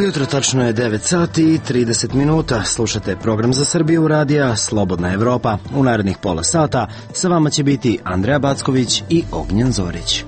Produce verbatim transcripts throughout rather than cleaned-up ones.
Dobro jutro, tačno je devet sati i trideset minuta. Slušate program za Srbiju radija Slobodna Evropa. U narednih pola sata sa vama će biti Andreja Backović i Ognjen Zorić.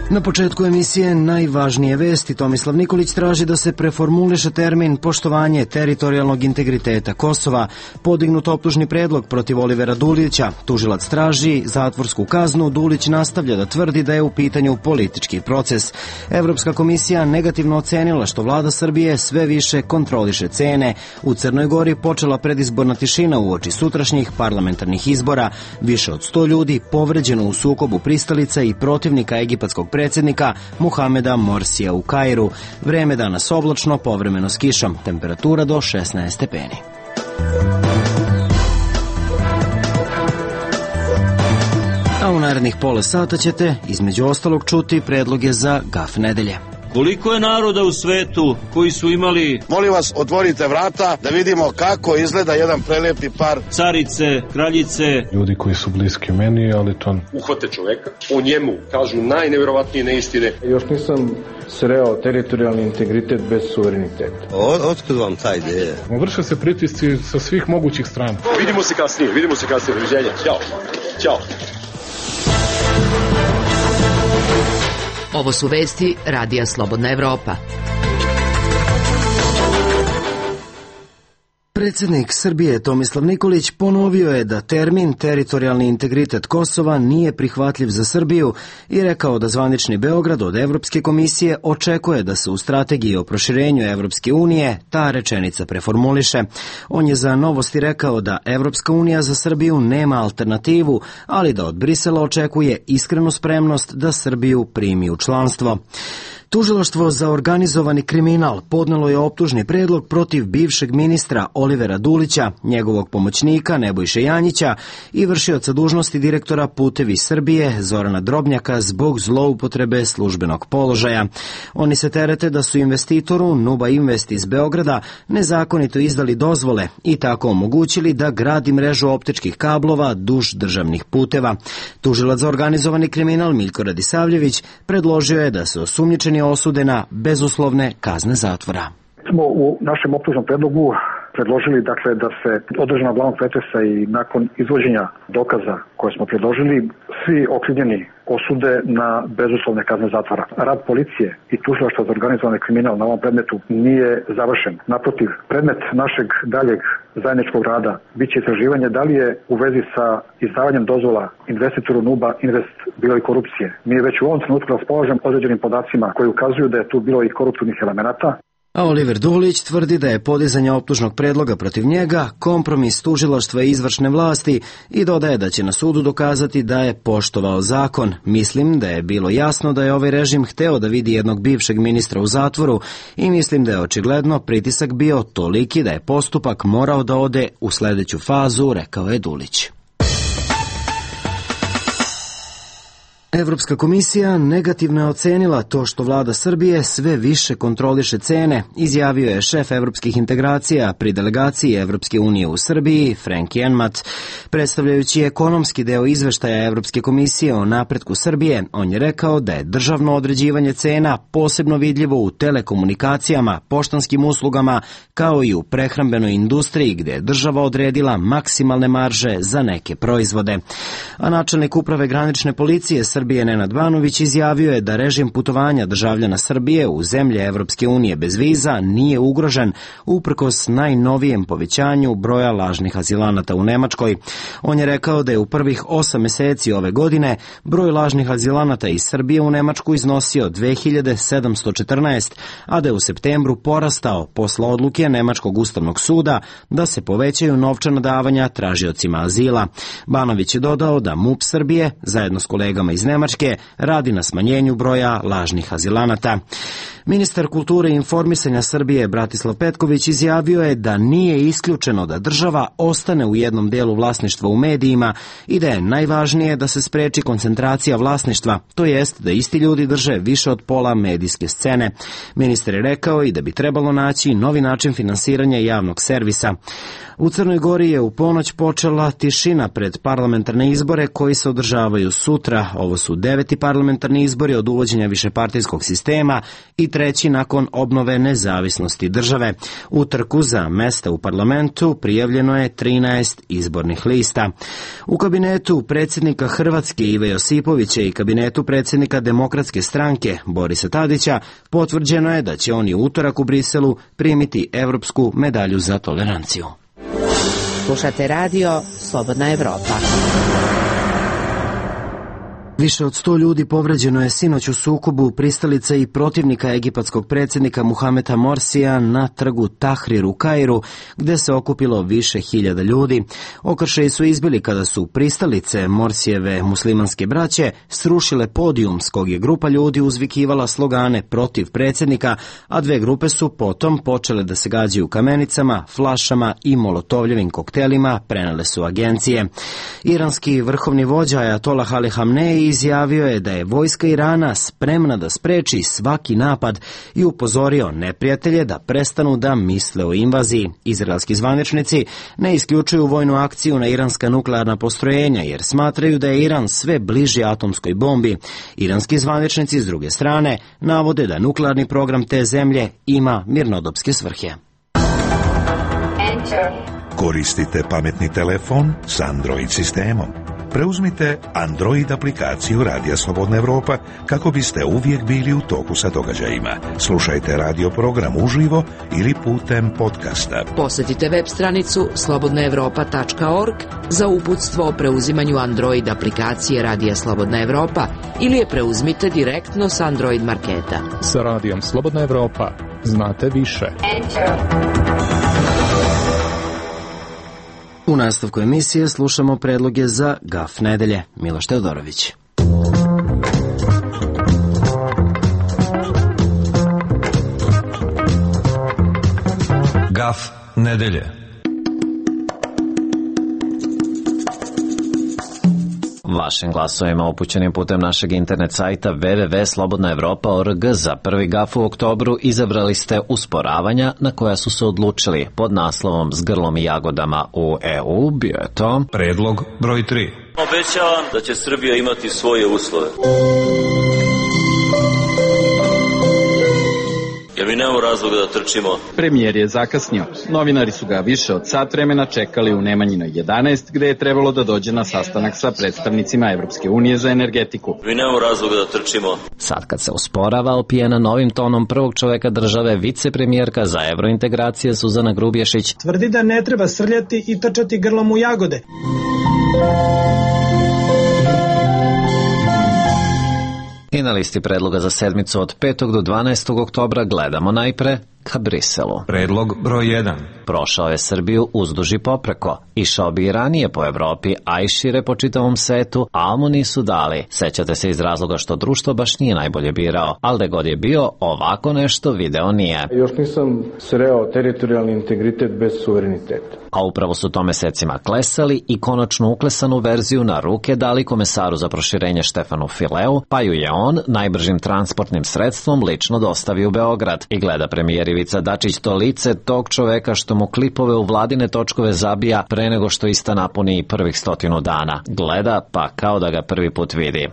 Na početku emisije najvažnije vesti. Tomislav Nikolić traži da se preformuliše termin poštovanje teritorijalnog integriteta Kosova, podignut optužni predlog protiv Olivera Dulića, tužilac traži zatvorsku kaznu, Dulić nastavlja da tvrdi da je u pitanju politički proces. Evropska komisija negativno ocenila što vlada Srbije sve više kontroliše cene. U Crnoj Gori počela predizborna tišina uoči sutrašnjih parlamentarnih izbora. Više od sto ljudi povređeno u sukobu pristalica i protivnika egipatskog predsjednika Muhameda Morsija u Kairu. Vreme danas oblačno, povremeno s kišom. Temperatura do šesnaest stepeni. A u narednih pola sata ćete, između ostalog, čuti predloge za gaf nedelje. Koliko je naroda u svetu koji su imali... Molim vas, otvorite vrata da vidimo kako izgleda jedan prelepi par. Carice, kraljice. Ljudi koji su bliski meni, ali to... Uhvate čoveka, o njemu kažu najnevjerovatnije neistine. Još nisam sreo teritorijalni integritet bez suvereniteta. Otkud vam ta ideja? Vrše se pritisci sa svih mogućih strana. Vidimo se kasnije, vidimo se kasnije. Doviđenja. Ćao. Ćao. Ovo su vesti radija Slobodna Evropa. Predsjednik Srbije Tomislav Nikolić ponovio je da termin teritorijalni integritet Kosova nije prihvatljiv za Srbiju i rekao da zvanični Beograd od Evropske komisije očekuje da se u strategiji o proširenju Evropske unije ta rečenica preformuliše. On je za Novosti rekao da Evropska unija za Srbiju nema alternativu, ali da od Brisela očekuje iskrenu spremnost da Srbiju primi u članstvo. Tužilaštvo za organizovani kriminal podnelo je optužni predlog protiv bivšeg ministra Olivera Dulića, njegovog pomoćnika Nebojše Janjića i vršioca dužnosti direktora Putevi Srbije Zorana Drobnjaka zbog zloupotrebe službenog položaja. Oni se terete da su investitoru Nuba Invest iz Beograda nezakonito izdali dozvole i tako omogućili da gradi mrežu optičkih kablova duž državnih puteva. Tužilac za organizovani kriminal Miljko Radisavljević predložio je da se osumnjičeni osude na bezuslovne kazne zatvora. Smo u našem optužnom predlogu predložili dakle da se održana glavnog pretresa i nakon izvođenja dokaza koje smo predložili svi okrivljeni osude na bezuslovne kazne zatvora. Rad policije i tužilaštva za organizovani kriminal na ovom predmetu nije završen. Naprotiv, predmet našeg daljeg zajedničkog rada biće istraživanje da li je u vezi sa izdavanjem dozvola investitoru Nuba Invest bilo i korupcije. Mi već u ovom trenutku raspolažemo određenim podacima koji ukazuju da je tu bilo i koruptivnih elemenata. A Oliver Dulić tvrdi da je podizanje optužnog predloga protiv njega kompromis tužilaštva i izvršne vlasti i dodaje da će na sudu dokazati da je poštovao zakon. Mislim da je bilo jasno da je ovaj režim hteo da vidi jednog bivšeg ministra u zatvoru i mislim da je očigledno pritisak bio toliki da je postupak morao da ode u sledeću fazu, rekao je Dulić. Evropska komisija negativno je ocenila to što vlada Srbije sve više kontroliše cene, izjavio je šef evropskih integracija pri delegaciji Evropske unije u Srbiji, Frank Jenmat. Predstavljajući ekonomski deo izveštaja Evropske komisije o napretku Srbije, on je rekao da je državno određivanje cena posebno vidljivo u telekomunikacijama, poštanskim uslugama, kao i u prehrambenoj industriji gde je država odredila maksimalne marže za neke proizvode. A načelnik uprave granične policije Srbije Srbije Nenad Banović izjavio je da režim putovanja državljana Srbije u zemlje Evropske unije bez viza nije ugrožen uprkos najnovijem povećanju broja lažnih azilanata u Nemačkoj. On je rekao da je u prvih osam meseci ove godine broj lažnih azilanata iz Srbije u Nemačku iznosio dve hiljade sedamsto četrnaest, a da je u septembru porastao posle odluke Nemačkog ustavnog suda da se povećaju novčana davanja tražiocima azila. Banović je dodao da MUP Srbije, zajedno s kolegama iz Nemačke, radi na smanjenju broja lažnih azilanata. Ministar kulture i informisanja Srbije Bratislav Petković izjavio je da nije isključeno da država ostane u jednom delu vlasništva u medijima i da je najvažnije da se spreči koncentracija vlasništva, to jest da isti ljudi drže više od pola medijske scene. Ministar je rekao i da bi trebalo naći novi način finansiranja javnog servisa. U Crnoj Gori je u ponoć počela tišina pred parlamentarne izbore koji se održavaju sutra. Ovo Ovo su deveti parlamentarni izbori od uvođenja višepartijskog sistema i treći nakon obnove nezavisnosti države. U trku za mesta u parlamentu prijavljeno je trinaest izbornih lista. U kabinetu predsjednika Hrvatske Ive Josipovića i kabinetu predsjednika Demokratske stranke Borisa Tadića potvrđeno je da će oni u utorak u Briselu primiti Evropsku medalju za toleranciju. Slušate radio Slobodna Evropa. Više od sto ljudi povređeno je sinoć u sukobu pristalica i protivnika egipatskog predsjednika Muhameda Morsija na trgu Tahrir u Kairu, gde se okupilo više hiljada ljudi. Okršaji su izbili kada su pristalice Morsijeve muslimanske braće srušile podijum s kog je grupa ljudi uzvikivala slogane protiv predsjednika, a dve grupe su potom počele da se gađaju kamenicama, flašama i molotovljevim koktelima, prenele su agencije. Iranski vrhovni vođa Ajatolah Ali Hamnej izjavio je da je vojska Irana spremna da spreči svaki napad i upozorio neprijatelje da prestanu da misle o invaziji. Izraelski zvaničnici ne isključuju vojnu akciju na iranska nuklearna postrojenja jer smatraju da je Iran sve bliži atomskoj bombi. Iranski zvaničnici s druge strane navode da nuklearni program te zemlje ima mirnodopske svrhe. Koristite pametni telefon s Android sistemom. Preuzmite Android aplikaciju Radija Slobodna Evropa kako biste uvijek bili u toku sa događajima. Slušajte radio program uživo ili putem podcasta. Posjetite web stranicu slobodna evropa tačka org za uputstvo o preuzimanju Android aplikacije Radija Slobodna Evropa ili je preuzmite direktno s Android marketa. Sa Radijom Slobodna Evropa znate više. U nastavku emisije slušamo predloge za Gaf nedelje. Miloš Teodorović. Gaf nedelje. Vašim glasovima upućenim putem našeg internet sajta w w w tačka slobodna evropa tačka org za prvi gaf u oktobru izabrali ste usporavanja na koja su se odlučili pod naslovom S grlom i jagodama u E U. Bio je to predlog broj tri. Obećavam da će Srbija imati svoje uslove. Jer mi nemamo razloga da trčimo. Premijer je zakasnio. Novinari su ga više od sat vremena čekali u Nemanjinoj jedanaest, gde je trebalo da dođe na sastanak sa predstavnicima Evropske unije za energetiku. Mi nemamo razloga da trčimo. Sad kad se usporava, opijena novim tonom prvog čoveka države, vicepremijerka za evrointegracije Suzana Grubješić tvrdi da ne treba srljati i trčati grlom u jagode. I na listi predloga za sedmicu od petog do dvanaestog oktobra gledamo najpre ka Briselu. Predlog broj jedan. Prošao je Srbiju uzduž i popreko. Išao bi i ranije po Evropi, a i šire po čitavom svetu, ali mu nisu dali. Sećate se iz razloga što društvo baš nije najbolje birao, ali da god je bio, ovako nešto video nije. Još nisam sreo teritorijalni integritet bez suvereniteta. A upravo su to mesecima klesali i konačno uklesanu verziju na ruke dali komesaru za proširenje Štefanu Fileu, pa ju je on najbržim transportnim sredstvom lično dostavio u Beograd. I gleda premijer Ivica Dačić to lice tog čoveka što mu klipove u vladine točkove zabija pre nego što ista napuni prvih stotinu dana. Gleda pa kao da ga prvi put vidi.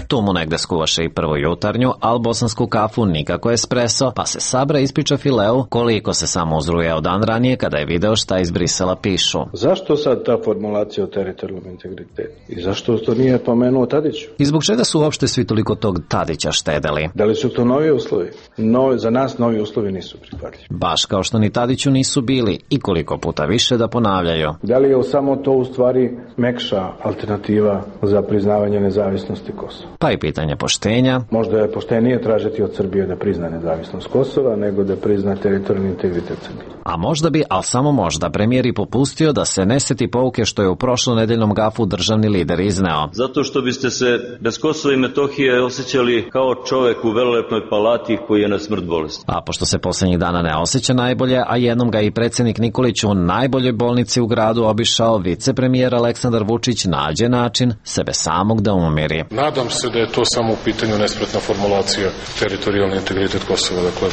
Tu mu negde skuvaše i prvu jutarnju, al bosansku kafu nikako espresso, pa se sabra ispriča Fileu koliko se samo uzrujao dan ranije kada je video šta iz Brisela pišu. Zašto sad ta formulacija o teritorijalnom integritetu? I zašto to nije pomenuo Tadiću? I zbog čega su uopšte svi toliko tog Tadića štedeli? Da li su to novi uslovi? No, za nas novi uslovi nisu prihvatljivi. Baš kao što ni Tadiću nisu bili i koliko puta više da ponavljaju. Da li je samo to u stvari mekša alternativa za priznavanje nezavisnosti Kosova? Pa i pitanje poštenja. Možda je poštenije tražiti od Srbije da prizna nezavisnost Kosova nego da prizna teritorijalni integritet Srbije. A možda bi, ali samo možda, premijer i popustio da se ne seti pouke što je u prošlonedeljnom gafu državni lider izneo. Zato što biste se bez Kosova i Metohije osjećali kao čovek u velelepnoj palati koji je na smrt bolesti. A pošto se poslednjih dana ne osjeća najbolje, a jednom ga i predsjednik Nikolić u najboljoj bolnici u gradu obišao, vicepremijer Aleksandar Vučić nađe način sebe samog da umiri. Nadam se da je to samo u pitanju nespretna formulacija teritorijalni integritet Kosova. Dakle.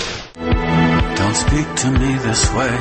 Don't speak to me this way.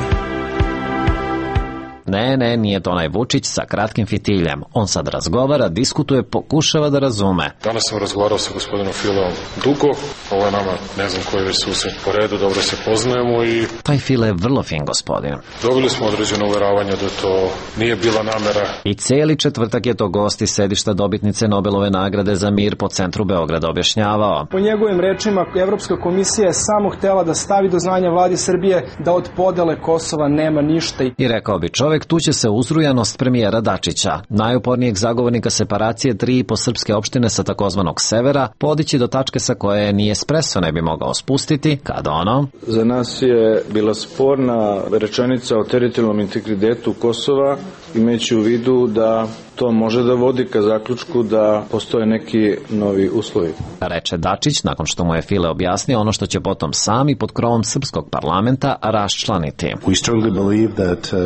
Ne, ne, nije to onaj Vučić sa kratkim fitiljem. On sad razgovara, diskutuje, pokušava da razume. Danas sam razgovarao sa gospodinom Fileom dugo, ovo je nama, ne znam koji već susret po redu, dobro se poznajemo i... Taj File je vrlo fin gospodin. Dobili smo određeno uveravanje da to nije bila namera. I cijeli četvrtak je to gost iz sedišta dobitnice Nobelove nagrade za mir po centru Beograda objašnjavao. Po njegovim rečima, Evropska komisija je samo htela da stavi do znanja vladi Srbije da od podele Kosova nema ništa. I rekao bi čovek, tu će se uzrujanost premijera Dačića, najupornijeg zagovornika separacije tri i po srpske opštine sa takozvanog severa, podići do tačke sa koje ni espresso ne bi mogao spustiti, kad ono... Za nas je bila sporna rečenica o teritorijalnom integritetu Kosova, imajući u vidu da to može da vodi ka zaključku da postoje neki novi uslovi. Reče Dačić nakon što mu je File objasnio ono što će potom sami pod krovom srpskog parlamenta raščlaniti.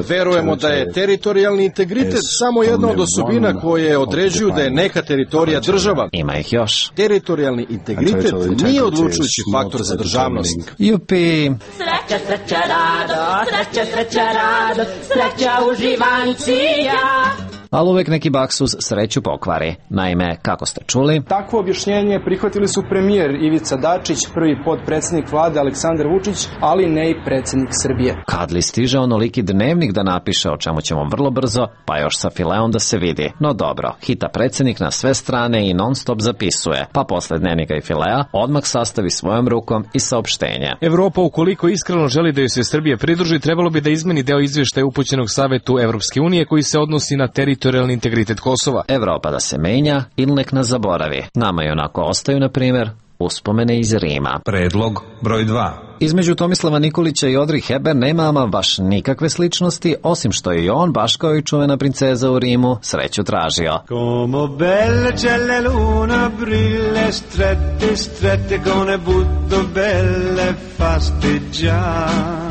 Verujemo da je teritorijalni integritet samo jedna od osobina koje određuju da je neka teritorija država. Ima ih još. Teritorijalni integritet nije odlučujući faktor za državnost. Jupi! Sreća, sreća, rado, sreća, sreća, rado, sreća uživancija. Ali uvek neki baksuz sreću pokvari. Naime, kako ste čuli... Takvo objašnjenje prihvatili su premijer Ivica Dačić, prvi potpredsednik vlade Aleksandar Vučić, ali ne i predsednik Srbije. Kad li stiže onoliki dnevnik da napiše, o čemu ćemo vrlo brzo, pa još sa Fileom da se vidi. No dobro, hita predsednik na sve strane i non stop zapisuje, pa posle dnevnika i Filea odmah sastavi svojom rukom i saopštenje. Evropa, ukoliko iskreno želi da joj se Srbije pridruži, trebalo bi da izmeni deo izveštaja upućenog Savetu Evropske unije koji se odnosi na teritorijalni integritet Kosova. Evropa da se menja ili nek nas zaboravi. Nama i onako ostaju, na primjer, uspomene iz Rima. Predlog broj dva. Između Tomislava Nikolića i Audrey Hepburn nema ama baš nikakve sličnosti, osim što je i on, baš kao i čuvena princeza u Rimu, sreću tražio. Como belle c'è la luna brille strette strette con ne butto belle fasteggiare.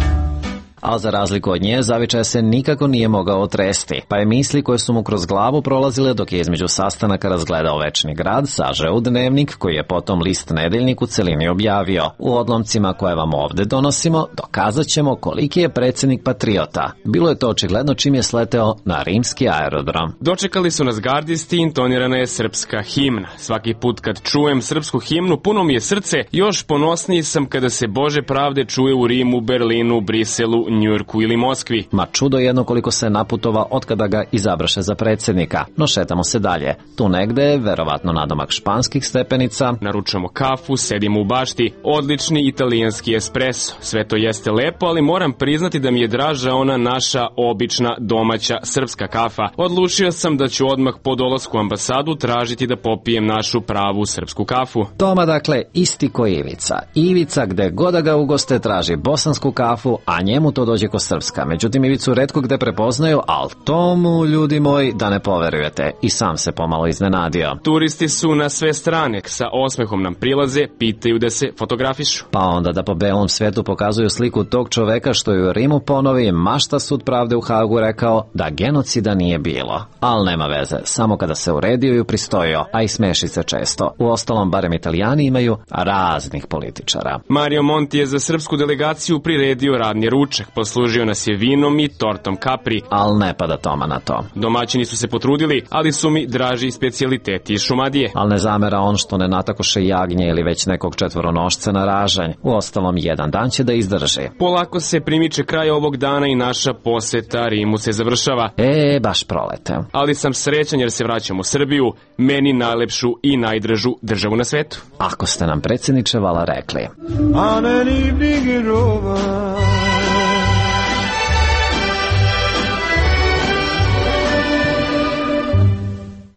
A za razliku od nje, zavičaja se nikako nije mogao otresti, pa je misli koje su mu kroz glavu prolazile dok je između sastanaka razgledao Večni grad sažeo u dnevnik koji je potom list Nedeljnik u celini objavio. U odlomcima koje vam ovde donosimo, dokazat ćemo koliki je predsednik patriota. Bilo je to očigledno čim je sleteo na rimski aerodrom. Dočekali su nas gardisti, intonirana je srpska himna. Svaki put kad čujem srpsku himnu, puno mi je srce, još ponosniji sam kada se Bože pravde čuje u Rimu, Berlinu, Briselu, Njujorku ili Moskvi. Ma čudo jedno koliko se naputova otkada ga izabraše za predsjednika. No šetamo se dalje. Tu negde, verovatno nadomak španskih stepenica. Naručamo kafu, sedimo u bašti. Odlični italijanski espresso. Sve to jeste lepo, ali moram priznati da mi je draža ona naša obična domaća srpska kafa. Odlučio sam da ću odmah po dolasku u ambasadu tražiti da popijem našu pravu srpsku kafu. Toma dakle isti ko Ivica. Ivica gde god da ga ugoste traži bosansku kafu, a njemu to dođe ko srpska. Međutim, Ivicu retko gde prepoznaju, ali tomu, ljudi moji, da ne poverujete. I sam se pomalo iznenadio. Turisti su na sve strane, sa osmehom nam prilaze, pitaju da se fotografišu. Pa onda da po belom svetu pokazuju sliku tog čoveka što je u Rimu ponovi, mašta sud pravde u Hagu rekao da genocida nije bilo. Al nema veze, samo kada se uredio i upristojio, a i smeši se često. U ostalom, barem Italijani imaju raznih političara. Mario Monti je za srpsku delegaciju priredio radni ručak, poslužio nas je vinom i tortom kapri. Al ne pada Toma na to. Domaćini su se potrudili, ali su mi draži specijaliteti iz Šumadije. Al ne zamera on što ne natakoše jagnje ili već nekog četvoronošca na ražanj. U ostalom, jedan dan će da izdrži. Polako se primiče kraj ovog dana i naša poseta Rimu se završava. E, baš prolete. Ali sam srećan jer se vraćam u Srbiju, meni najlepšu i najdražu državu na svetu. Ako ste nam predsjedniče vala rekli. On an evening in Roma.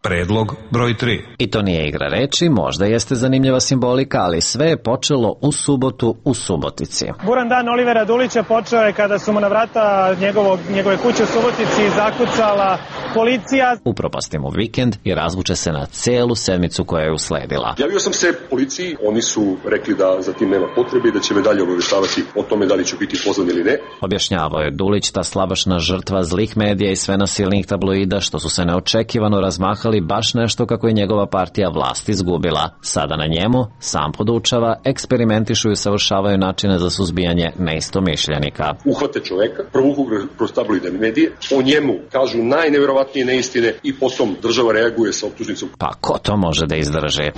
Predlog broj tri. I to nije igra reči, možda jeste zanimljiva simbolika, ali sve je počelo u subotu u Subotici. Buran dan Olivera Dulića počeo je kada su mu na vrata njegovog, njegove kuće u Subotici zakucala policija upropasti mu vikend i razvuče se na celu sedmicu koja je usledila. Javio sam se policiji, oni su rekli da za tim nema potrebe i da će me dalje obaveštavati o tome da li ću biti pozvan ili ne. Objašnjavao je Dulić, ta slabašna žrtva zlih medija i sve nasilnih tabloida što su se neočekivano razmahali baš nešto kako je njegova partija vlast izgubila. Sada na njemu sam podučava, eksperimentišu i savršavaju načine za suzbijanje neistomišljenika. Uhvate čoveka, provuku kroz tabloidne medije, o njemu kažu najneverovatnije neistine i potom država reaguje sa optužnicom. Pa ko to može da izdrži?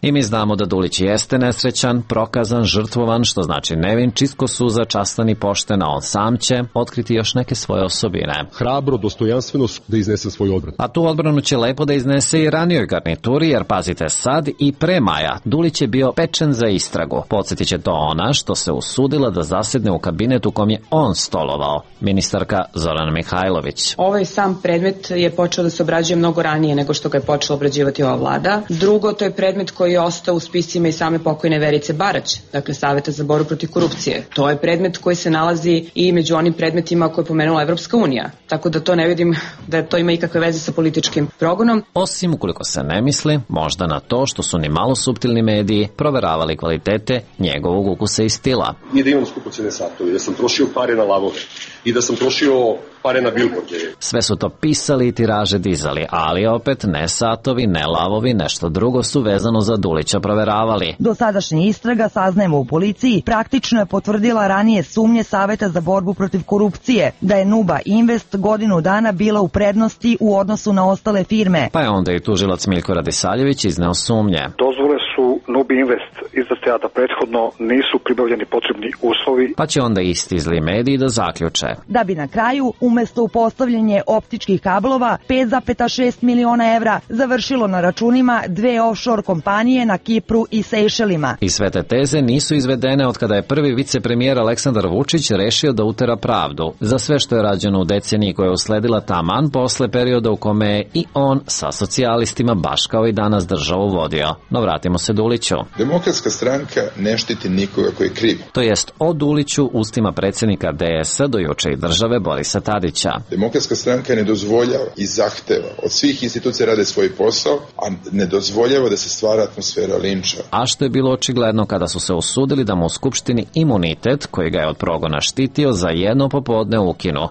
I mi znamo da Dulić jeste nesrećan, prokazan, žrtvovan, što znači nevin, čisto suza, častan i pošten, a on sam će otkriti još neke svoje osobine. Hrabro, dostojanstveno da iznese svoju odbranu. A tu odbranu će lepo da iznese i ranijoj garnituri, jer pazite sad, i pre maja Dulić je bio pečen za istragu. Podsjetit će to ona što se usudila da zasedne u kabinetu u kom je on stolovao, ministarka Zorana Mihajlović. Ovaj sam predmet je počeo da se obrađuje mnogo ranije nego što ga je počela obrađivati ova vlada. Drugo, to je predmet koji je ostao u spisima i same pokojne Verice Barać, dakle Saveta za borbu protiv korupcije. To je predmet koji se nalazi i među onim predmetima koje je pomenula Evropska unija. Tako da to ne vidim da to ima ikakve veze sa političkim progonom. Osim ukoliko se ne misli, možda na to što su ni malo suptilni mediji proveravali kvalitete njegovog ukusa i stila. Nije da imam skupocene satove, da sam trošio pare na lavove i da sam trošio pare na bilborde. Sve su to pisali i tiraže dizali, ali opet ne satovi, ne lavovi, nešto drugo su vezano za Dulića proveravali. Dosadašnja istraga, saznajemo u policiji, praktično je potvrdila ranije sumnje Saveta za borbu protiv korupcije, da je Nuba Invest godinu dana bila u prednosti u odnosu na ostale firme. Pa je onda i tužilac Miljko Radisaljević izneo sumnje. Dozvole su Nubi Invest izdate, a da prethodno nisu pribavljeni potrebni uslovi. Pa će onda isti zli mediji da zaključe. Da bi na kraju, umesto upostavljanje optičkih kablova, pet zarez šest miliona evra završilo na računima dve offshore kompanije na Kipru i Sejšelima. I sve te teze nisu izvedene od kada je prvi vicepremijer Aleksandar Vučić rešio da utera pravdu za sve što je rađeno u deceniji koja je usledila taman posle perioda u kome je i on sa socijalistima baš kao i danas državu vodio. No vratimo se Duliću. Demokratska stranka ne štiti nikoga koji je kriv. To jest o Duliću ustima predsjednika D S-a do juče i države Borisa Tadića. Demokratska stranka ne dozvoljava i zahteva od svih institucija rade svoj posao, a ne dozvoljava da se stvara atmosfera linča. A što je bilo očigledno kada su se usudili da mu u Skupštini imunitet, koji ga je od progona štitio, za jedno popodne ukinu.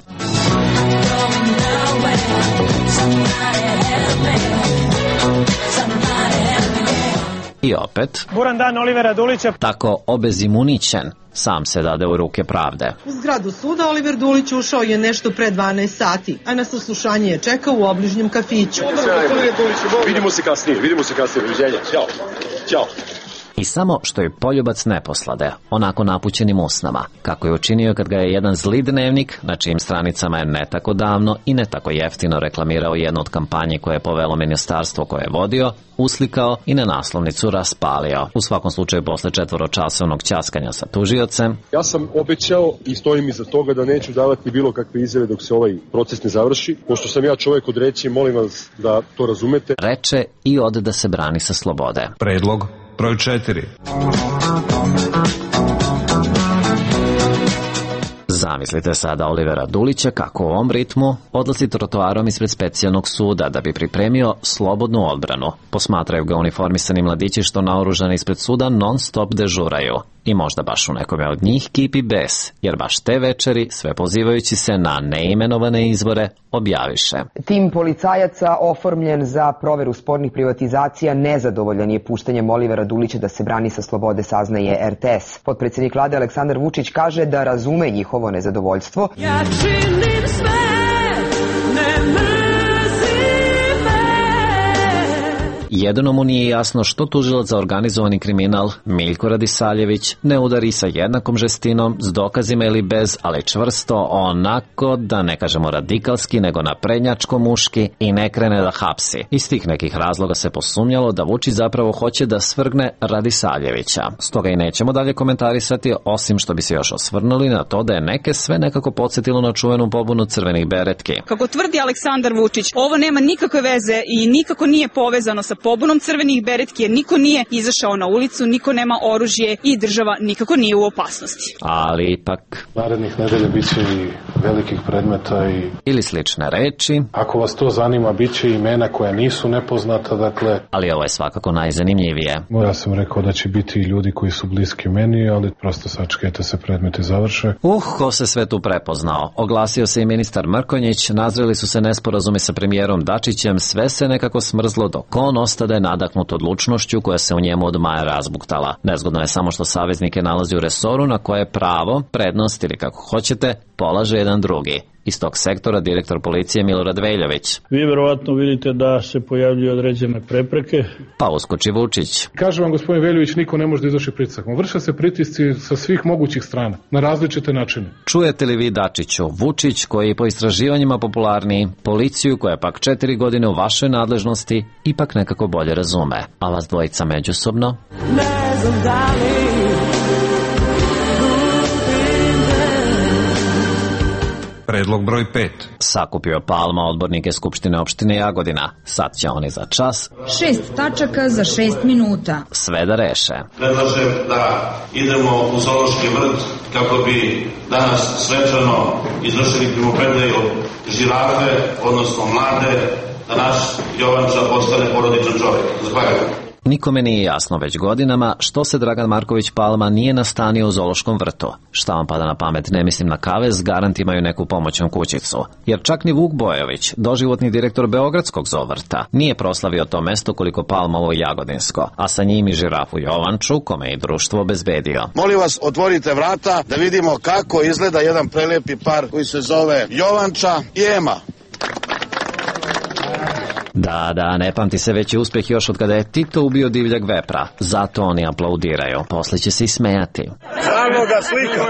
I opet, buran dan Olivera Dulića, tako obezimunićen, sam se dade u ruke pravde. U zgradu suda Oliver Dulić ušao je nešto pre dvanaest sati, a na saslušanje je čekao u obližnjem kafiću. Vidimo se kasnije, vidimo se kasnije, doviđenja. Ćao. Ćao. I samo što je poljubac ne poslade, onako napućenim usnama, kako je učinio kad ga je jedan zli dnevnik, na čijim stranicama je ne tako davno i ne tako jeftino reklamirao jednu od kampanje koje je povelo ministarstvo koje je vodio, uslikao i na naslovnicu raspalio. U svakom slučaju posle četvoročasovnog ćaskanja sa tužiocem. Ja sam obećao i stojim iza toga da neću davati bilo kakve izjave dok se ovaj proces ne završi. Pošto sam ja čovjek od reći, molim vas da to razumete. Reče i ode da se brani sa slobode. Predlog broj četiri. Zamislite sada Olivera Dulića kako u ovom ritmu odlazi trotoarom ispred specijalnog suda da bi pripremio slobodnu odbranu. Posmatraju ga uniformisani mladići što naoružani ispred suda non stop dežuraju. I možda baš u nekome od njih kipi bes, jer baš te večeri, sve pozivajući se na neimenovane izvore, objaviše. Tim policajaca oformljen za proveru spornih privatizacija nezadovoljan je puštanjem Olivera Dulića da se brani sa slobode, saznaje R T S. Potpredsjednik vlade Aleksandar Vučić kaže da razume njihovo nezadovoljstvo. Ja činim sve, ne mrzi me. Jedino mu nije jasno što tužilac za organizovani kriminal Miljko Radisaljević ne udari sa jednakom žestinom, s dokazima ili bez, ali čvrsto, onako, da ne kažemo radikalski, nego naprednjačko muški i ne krene da hapsi. Iz tih nekih razloga se posumnjalo da Vučić zapravo hoće da svrgne Radisaljevića. Stoga i nećemo dalje komentarisati, osim što bi se još osvrnuli na to da je neke sve nekako podsjetilo na čuvenu pobunu crvenih beretki. Kako tvrdi Aleksandar Vučić, ovo nema nikakve veze i nikako nije povezano sa pobunom crvenih beretki jer niko nije izašao na ulicu, niko nema oružje i država nikako nije u opasnosti. Ali ipak... Narednih nedelja bit će i velikih predmeta i... Ili slične reči. Ako vas to zanima, bit će imena koja nisu nepoznata, dakle... Ali ovo je svakako najzanimljivije. Ja sam rekao da će biti i ljudi koji su bliski meni, ali prosto sačekajte se predmeti završe. Uh, ko se sve tu prepoznao. Oglasio se i ministar Mrkonjić, nazreli su se nesporazumi sa premijerom Dačićem, sve se nekako smrzlo dok on ostade nadahnut odlučnošću koja se u njemu od maja razbuktala. Nezgodno je samo što saveznike nalazi u resoru na koje pravo, prednost ili kako hoćete, polaže jedan drugi. Iz tog sektora direktor policije Milorad Veljović. Vi verovatno vidite da se pojavljuju određene prepreke. Pa uskoči Vučić. Kaže vam gospodin Veljović, niko ne može da izvrši pritisak. Vrše se pritisci sa svih mogućih strana, na različite načine. Čujete li vi Dačiću, Vučić koji je po istraživanjima popularniji, policiju koja je pak četiri godine u vašoj nadležnosti, ipak nekako bolje razume. A vas dvojica međusobno? Ne znam da li Predlog broj pet. Sakupio Palma odbornike Skupštine opštine Jagodina. Sad će oni za čas. Šest tačaka za šest minuta. Sve da reše. Predlažem da idemo u zoološki vrt kako bi danas svečano izvršili primopredaju žirafe, odnosno mlade, da naš Jovanča postane porodičan čovjek. Zahvaljujem. Nikome nije jasno već godinama što se Dragan Marković Palma nije nastanio u zoološkom vrtu. Šta vam pada na pamet, ne mislim na kavez, garant imaju neku pomoćnu kućicu. Jer čak ni Vuk Bojović, doživotni direktor Beogradskog zoovrta, nije proslavio to mesto koliko Palmovo Jagodinsko, a sa njim i žirafu Jovanču, kome je i društvo obezbedio. Molim vas, otvorite vrata da vidimo kako izgleda jedan prelepi par koji se zove Jovanča i Ema. Da, da, ne pamti se veći uspeh još od kada je Tito ubio divljeg vepra. Zato oni aplaudiraju. Posle će se i smejati. Ravnoga slika.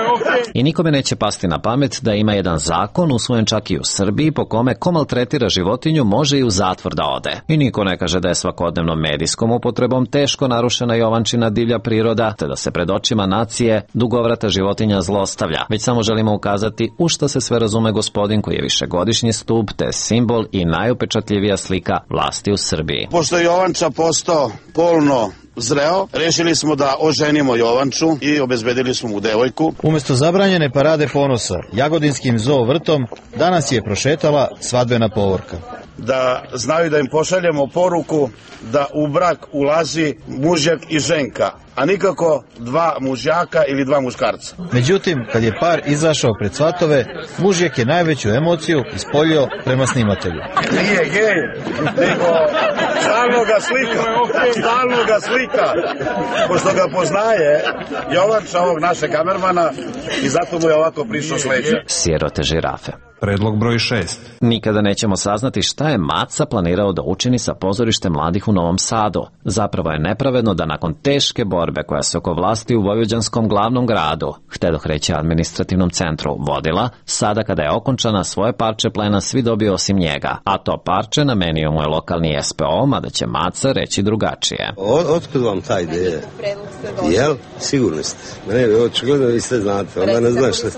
I nikome neće pasti na pamet da ima jedan zakon usvojen čak i u Srbiji po kome ko maltretira životinju može i u zatvor da ode. I niko ne kaže da je svakodnevnom medijskom upotrebom teško narušena Jovančina divlja priroda, te da se pred očima nacije dugovrata životinja zlostavlja. Već samo želimo ukazati u šta se sve razume gospodin koji je višegodišnji stup, te simbol i najupečatljivija slika vlasti u Srbiji. Pošto je Jovanča postao polno zreo, rešili smo da oženimo Jovanču i obezbedili smo mu devojku. Umesto zabranjene parade ponosa Jagodinskim zoo vrtom danas je prošetala svadbena povorka. Da znaju da im pošaljemo poruku da u brak ulazi mužjak i ženka, a nikako dva mužjaka ili dva muškarca. Međutim, kad je par izašao pred svatove, mužjak je najveću emociju ispoljio prema snimatelju. Nije gej, nego stalno ga slika, stalno ga slika, pošto ga poznaje Jovanča, ovog naše kamermana, i zato mu je ovako prišao s leđa. Sirote žirafe. Predlog broj šest. Nikada nećemo saznati šta je Maca planirao da učini sa pozorištem mladih u Novom Sadu. Zapravo je nepravedno da nakon teške borbe koja se oko vlasti u vojvođanskom glavnom gradu, htedoh reći administrativnom centru, vodila, sada kada je okončana svoje parče plena svi dobio osim njega, a to parče namenio mu je lokalni S P O, mada će Maca reći drugačije. Otkud vam ta ideja? Jel? Sigurno ste. Ne, očigledno vi sve znate, onda ne znam šta.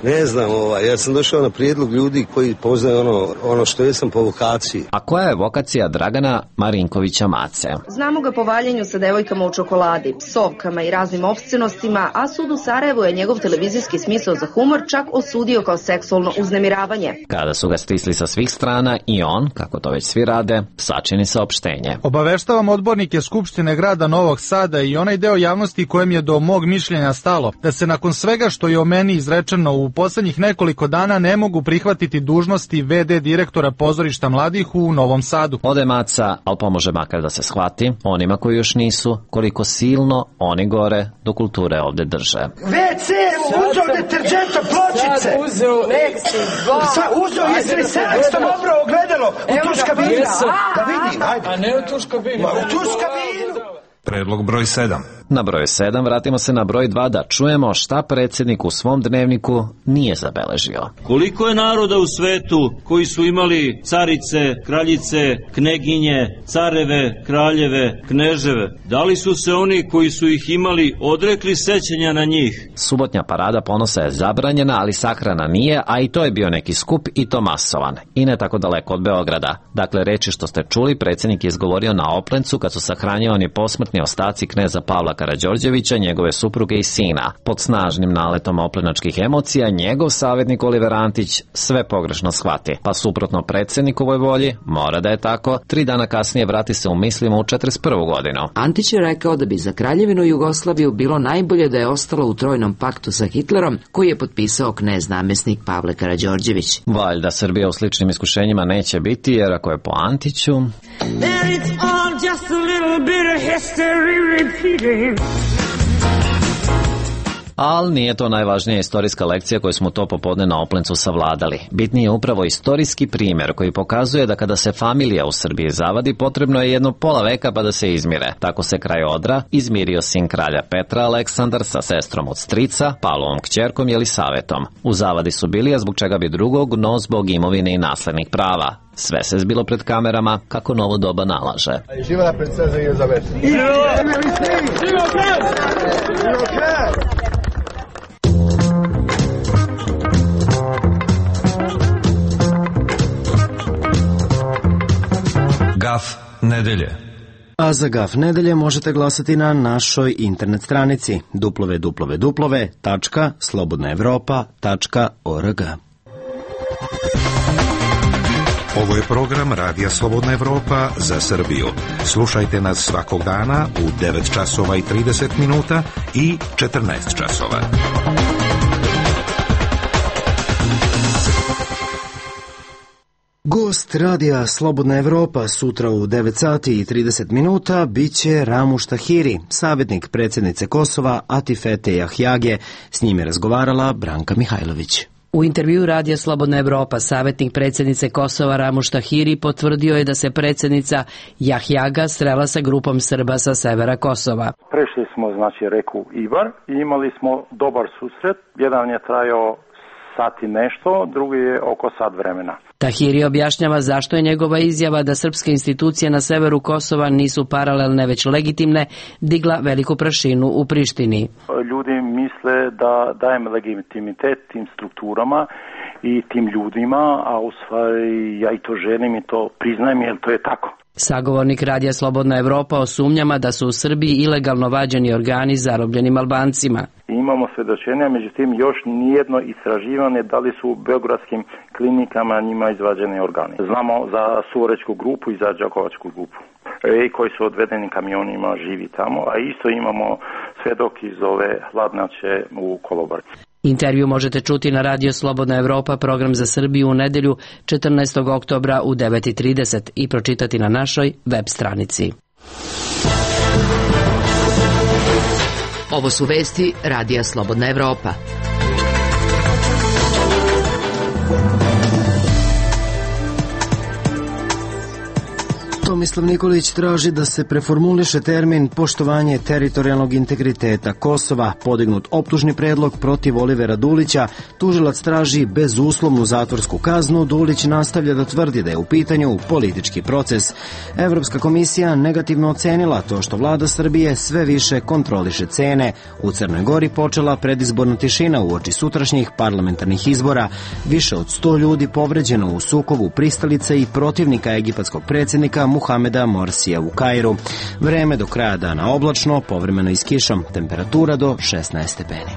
Ne znam, ovaj, ja sam došao na prijedlog ljudi koji poznaju ono, ono što jesam po vokaciji. A koja je vokacija Dragana Marinkovića Mace? Znamo ga po valjenju sa devojkama u čokoladi, psovkama i raznim opscenostima, a sud u Sarajevu je njegov televizijski smisao za humor čak osudio kao seksualno uznemiravanje. Kada su ga stisli sa svih strana i on, kako to već svi rade, sačini saopštenje. Obaveštavam odbornike Skupštine grada Novog Sada i onaj deo javnosti kojem je do mog mišljenja stalo, da se nakon svega što je o meni izrečeno u poslednjih nekoliko dana ne mogu prihvatiti dužnosti V D direktora pozorišta mladih u Novom Sadu. Ode Maca, ali pomože makar da se shvati onima koji još nisu, koliko silno oni gore do kulture ovde drže. ve ce uzeo deterđenta pločice. Sad uzeo Lexi dva. Sad uzeo, jesi li sedamsto obrao ogledalo u tuš kabinu? Da vidim, ajde. A ne u tuš kabinu. U tuš kabinu. Predlog broj sedam. Na broju sedam vratimo se na broj dva da čujemo šta predsjednik u svom dnevniku nije zabeležio. Koliko je naroda u svetu koji su imali carice, kraljice, kneginje, careve, kraljeve, kneževe? Da li su se oni koji su ih imali odrekli sećanja na njih? Subotnja parada ponosa je zabranjena, ali sahrana nije, a i to je bio neki skup i to masovan. I ne tako daleko od Beograda. Dakle, reči što ste čuli, predsjednik je izgovorio na Oplencu kad su sahranjivani posmrtni ostaci kneza Pavla Karađorđevića, njegove supruge i sina. Pod snažnim naletom oplenačkih emocija, njegov savjetnik Oliver Antić sve pogrešno shvati. Pa suprotno predsjednikovoj volji, mora da je tako, tri dana kasnije vrati se u mislima u četrdeset prvu godinu. Antić je rekao da bi za Kraljevinu Jugoslaviju bilo najbolje da je ostalo u trojnom paktu sa Hitlerom, koji je potpisao knez namjesnik Pavle Karađorđević. Valjda Srbija u sličnim iskušenjima neće biti, jer ako je po Antiću... Ali nije to najvažnija istorijska lekcija koju smo to popodne na Oplencu savladali. Bitniji je upravo istorijski primjer koji pokazuje da kada se familija u Srbiji zavadi, potrebno je jedno pola veka pa da se izmire. Tako se kraj Odra izmirio sin kralja Petra Aleksandar sa sestrom od strica, Pavlovom kćerkom Jelisavetom. U zavadi su bili, a zbog čega bi drugog, no zbog imovine i naslednih prava. Sve se zbilo pred kamerama kako novo doba nalaže. Živela princeza Elizaveta. Gaf nedelje. A za Gaf nedelje možete glasati na našoj internet stranici w w w tačka slobodna evropa tačka org. Ovo je program Radija Slobodna Evropa za Srbiju. Slušajte nas svakog dana u devet časova i trideset minuta i četrnaest časova. Gost Radija Slobodna Evropa sutra u devet sati i trideset minuta biće Ramuš Tahiri, savjetnik predsjednice Kosova Atifete Jahjage. S njim je razgovarala Branka Mihajlović. U intervju Radija Slobodna Evropa savjetnik predsjednice Kosova Ramuš Tahiri potvrdio je da se predsjednica Jahjaga srela sa grupom Srba sa severa Kosova. Prešli smo znači reku Ibar i imali smo dobar susret. Jedan je trajao sat i nešto, drugi je oko sat vremena. Tahiri objašnjava zašto je njegova izjava da srpske institucije na severu Kosova nisu paralelne već legitimne digla veliku prašinu u Prištini. Ljudi misle da dajem legitimitet tim strukturama i tim ljudima, a u stvari ja i to želim i to priznajem jer to je tako. Sagovornik Radija Slobodna Evropa o sumnjama da su u Srbiji ilegalno vađeni organi zarobljenim Albancima. Imamo svedočenja, međutim još nijedno istraživanje da li su u beogradskim klinikama njima izvađeni organi. Znamo za Suvorečku grupu i za Đakovačku grupu e, koji su odvedeni kamionima živi tamo, a isto imamo svedok iz ove hladnjače u Kolobarci. Intervju možete čuti na Radio Slobodna Evropa, program za Srbiju u nedelju četrnaestog oktobra u devet i trideset i pročitati na našoj web stranici. Ovo su vesti Radija Slobodna Evropa. Tomislav Nikolić traži da se preformuliše termin poštovanje teritorijalnog integriteta Kosova, podignut optužni predlog protiv Olivera Dulića, tužilac traži bezuslovnu zatvorsku kaznu, Dulić nastavlja da tvrdi da je u pitanju politički proces. Evropska komisija negativno ocenila to što vlada Srbije sve više kontroliše cene. U Crnoj Gori počela predizborna tišina uoči sutrašnjih parlamentarnih izbora. Više od sto ljudi povređeno u sukobu pristalica i protivnika egipatskog predsjednika Muhameda Morsija u Kairu. Vreme do kraja dana oblačno, povremeno i s kišom, temperatura do šesnaest stepeni.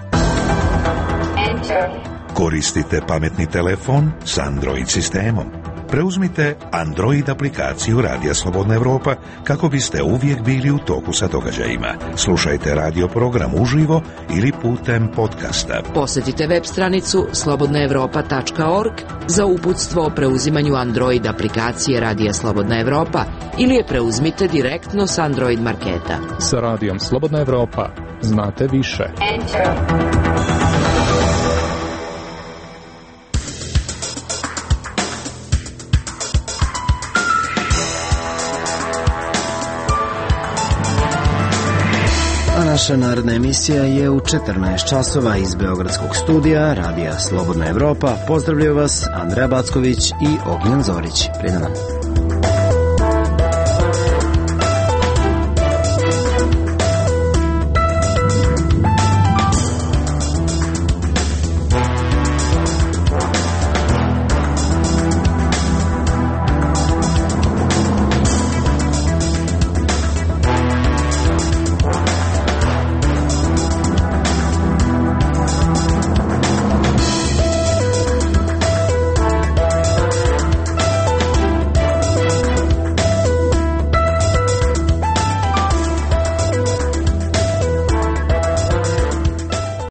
Koristite pametni telefon s Android sistemom. Preuzmite Android aplikaciju Radija Slobodna Evropa kako biste uvijek bili u toku sa događajima. Slušajte radio program uživo ili putem podcasta. Posjetite web stranicu slobodna evropa tačka org za uputstvo o preuzimanju Android aplikacije Radija Slobodna Evropa ili je preuzmite direktno s Android marketa. Sa Radijom Slobodna Evropa znate više. Enter. Naša narodna emisija je u četrnaest časova iz Beogradskog studija Radija Slobodna Evropa. Pozdravljaju vas Andreja Backović i Ognjen Zorić. Prijedan nam.